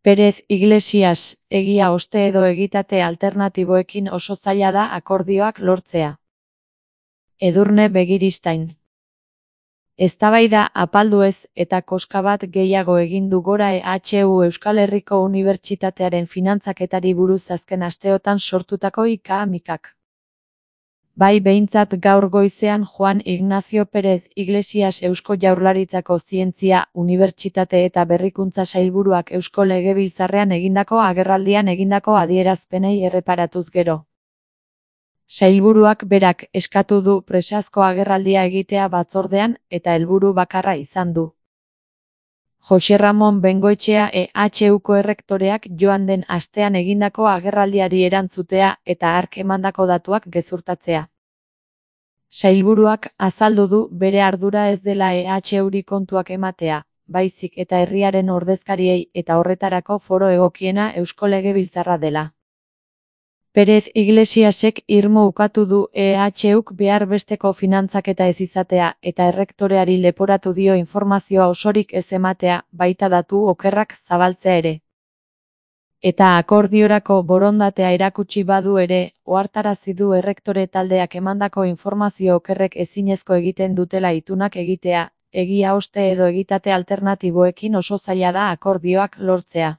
Pérez Iglesias, egia oste edo egitate alternatiboekin oso zaila da akordioak lortzea. Edurne Begiristain. Eztabaida apaldu ez eta koska bat gehiago egin du gora EHU Euskal Herriko Unibertsitatearen finantzaketari buruz azken asteotan sortutako ika-mikak. Bai behintzat gaur goizean Juan Ignacio Pérez Iglesias Eusko Jaurlaritzako Zientzia, Unibertsitate eta Berrikuntza Sailburuak Eusko Legebiltzarrean egindako agerraldian egindako adierazpenei erreparatuz gero. Sailburuak berak eskatu du presazko agerraldia egitea batzordean eta helburu bakarra izan du. Jose Ramon Bengoetxea EHUko errektoreak joan den astean egindako agerraldiari erantzutea eta hark emandako datuak gezurtatzea. Sailburuak azaldu du bere ardura ez dela EHUri kontuak ematea, baizik eta herriaren ordezkariei eta horretarako foro egokiena Eusko Legebiltzarra dela. Pérez Iglesiasek irmo ukatu du EHUk behar besteko finantzaketa ez izatea eta errektoreari leporatu dio informazioa osorik ez ematea, baita datu okerrak zabaltzea ere. Eta akordiorako borondatea erakutsi badu ere, ohartarazi du errektore taldeak emandako informazio okerrek ezinezko egiten dutela itunak egitea, egia oste edo egitate alternatiboekin oso zaila da akordioak lortzea.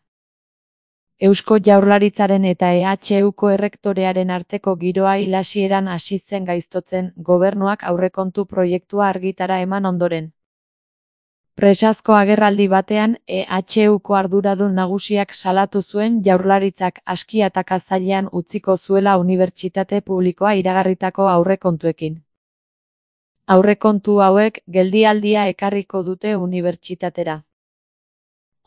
Eusko Jaurlaritzaren eta EHUko errektorearen arteko giroa ilasieran hasi zen gaiztotzen gobernuak aurrekontu proiektua argitara eman ondoren. Presazko agerraldi batean EHUko arduradun nagusiak salatu zuen Jaurlaritzak aski ataka zailean utziko zuela unibertsitate publikoa iragarritako aurrekontuekin. Aurrekontu hauek geldialdia ekarriko dute unibertsitatera.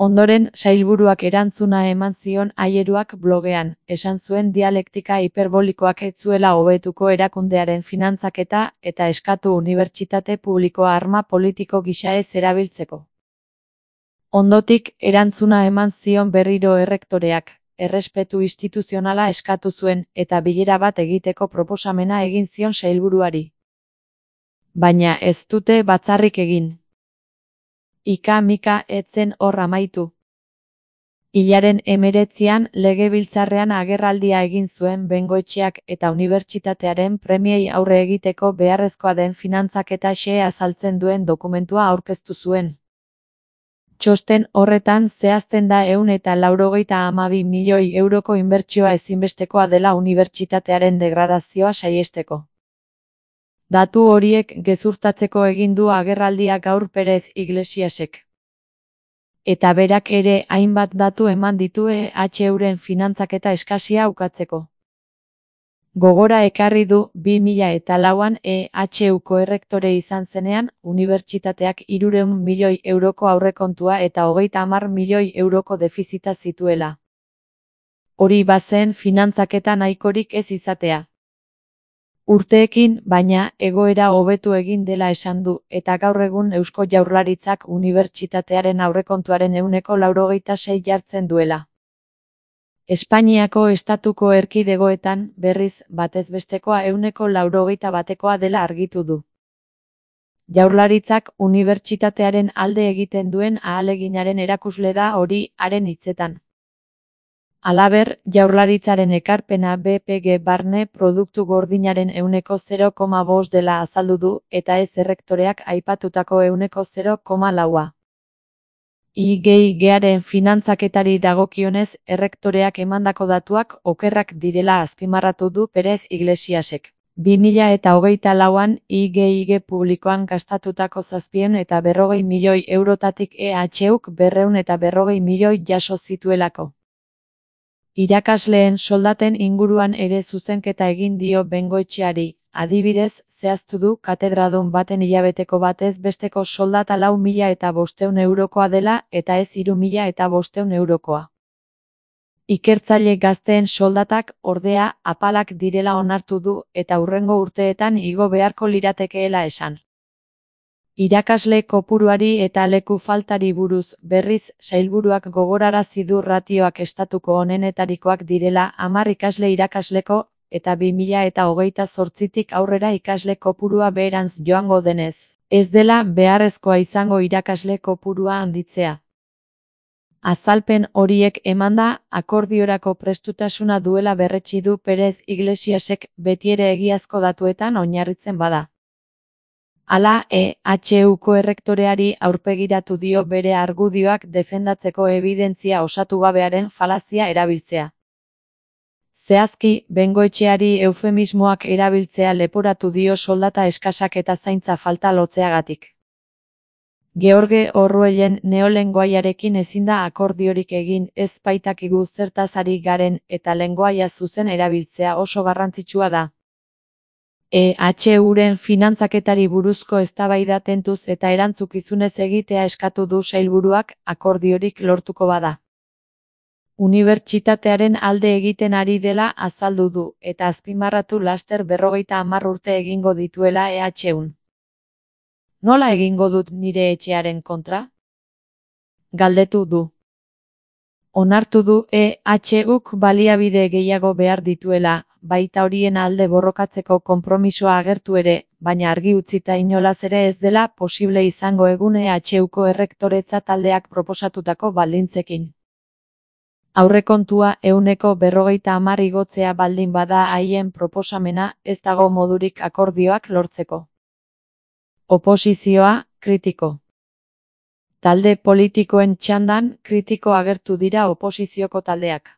Ondoren, sailburuak erantzuna eman zion Aieruak blogean, esan zuen dialektika hiperbolikoak ez zuela hobetuko erakundearen finantzaketa eta eskatu unibertsitate publikoa arma politiko gisa ez erabiltzeko. Ondotik, erantzuna eman zion berriro errektoreak, errespetu instituzionala eskatu zuen eta bilera bat egiteko proposamena egin zion sailburuari. Baina ez dute batzarrik egin. Ika-mika ez zen hor amaitu. Hilaren 19an Legebiltzarrean agerraldia egin zuen Bengoetxeak eta unibertsitatearen premiei aurre egiteko beharrezkoa den finantzaketa xehea azaltzen duen dokumentua aurkeztu zuen. Txosten horretan zehazten da 192 milioi euroko inbertsioa ezinbestekoa dela unibertsitatearen degradazioa saihesteko. Datu horiek gezurtatzeko egin du agerraldia gaur Pérez Iglesiasek. Eta berak ere hainbat datu eman ditu EHUren finantzaketa eskasia ukatzeko. Gogora ekarri du 2004an EHUko errektore izan zenean, unibertsitateak 300 milioi euroko aurrekontua eta 30 milioi euroko defizita zituela. Hori bazen finantzaketa nahikorik ez izatea. Urteekin, baina, egoera hobetu egin dela esan du, eta gaur egun Eusko Jaurlaritzak unibertsitatearen aurrekontuaren 96% jartzen duela. Espainiako estatuko erkidegoetan, berriz, batez bestekoa 91%koa dela argitu du. Jaurlaritzak unibertsitatearen alde egiten duen ahaleginaren erakusle da hori haren hitzetan. Halaber, Jaurlaritzaren ekarpena BPG barne produktu gordinaren 0,5% dela azaldu du eta ez errektoreak aipatutako 0,4%. IGIGaren finantzaketari dagokionez, errektoreak emandako datuak okerrak direla azpimarratu du Pérez Iglesiasek. 2024an IGIG publikoan gastatutako 740 milioi eurotatik EHUk 240 milioi jaso zituelako. Irakasleen soldaten inguruan ere zuzenketa egin dio Bengoetxeari, adibidez, zehaztu du katedradun baten hilabeteko batez besteko soldata 4.500 eurokoa dela eta ez 3.500 eurokoa. Ikertzaile gazteen soldatak, ordea, apalak direla onartu du eta hurrengo urteetan igo beharko liratekeela esan. Irakasle kopuruari eta leku faltari buruz, berriz, sailburuak gogorarazi du ratioak estatuko onenetarikoak direla 10 ikasle irakasleko, eta 2028tik aurrera ikasle kopurua beherantz joango denez, ez dela beharrezkoa izango irakasle kopurua handitzea. Azalpen horiek emanda, akordiorako prestutasuna duela berretsi du Pérez Iglesiasek betiere egiazko datuetan oinarritzen bada. Hala, EHUko errektoreari aurpegiratu dio bere argudioak defendatzeko ebidentzia osatu gabearen falazia erabiltzea. Zehazki, Bengoetxeari eufemismoak erabiltzea leporatu dio soldata eskasak eta zaintza falta lotzeagatik. George Orwellen neolengoaiarekin ezin da akordiorik egin, ez baitakigu zertaz ari garen eta lengoaia zuzen erabiltzea oso garrantzitsua da. EHUren finantzaketari buruzko eztabaida tentuz eta erantzukizunez egitea eskatu du sailburuak akordiorik lortuko bada. Unibertsitatearen alde egiten ari dela azaldu du, eta azpimarratu laster 50 urte egingo dituela EHUn. Nola egingo dut nire etxearen kontra? Galdetu du. Onartu du EHUk baliabide gehiago behar dituela, baita horien alde borrokatzeko konpromisoa agertu ere, baina argi utzita inolaz ere ez dela posible izango egun EHUko errektoretza taldeak proposatutako baldintzekin. Aurrekontua 50% igotzea baldin bada haien proposamena, ez dago modurik akordioak lortzeko. Oposizioa, kritiko. Talde politikoen txandan, kritiko agertu dira oposizioko taldeak.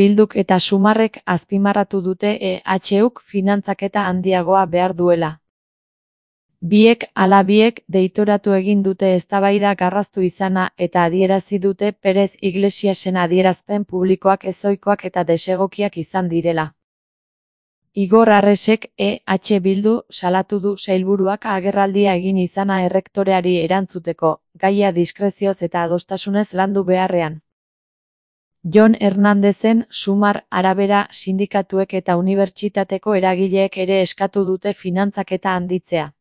Bilduk eta Sumarrek azpimarratu dute EHUk finantzaketa handiagoa behar duela. Biek ala biek deitoratu egin dute eztabaida garraztu izana eta adierazi dute Pérez Iglesiasen adierazpen publikoak ezohikoak eta desegokiak izan direla. Igor Arresek Bildu salatu du sailburuak agerraldia egin izana errektoreari erantzuteko, gaia diskrezioz eta adostasunez landu beharrean. Jon Hernandezen Sumar arabera sindikatuek eta unibertsitateko eragileek ere eskatu dute finantzaketa handitzea.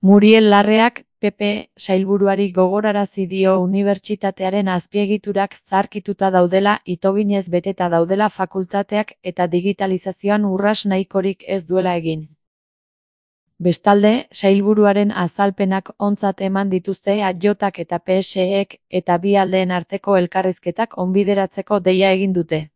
Muriel Larreak, PP sailburuari gogorarazi dio unibertsitatearen azpiegiturak zaharkituta daudela, itoginez beteta daudela fakultateak eta digitalizazioan urrats nahikorik ez duela egin. Bestalde, sailburuaren azalpenak ontzat eman dituzte AJak eta PSEek eta bi aldeen arteko elkarrizketak onbideratzeko deia egin dute.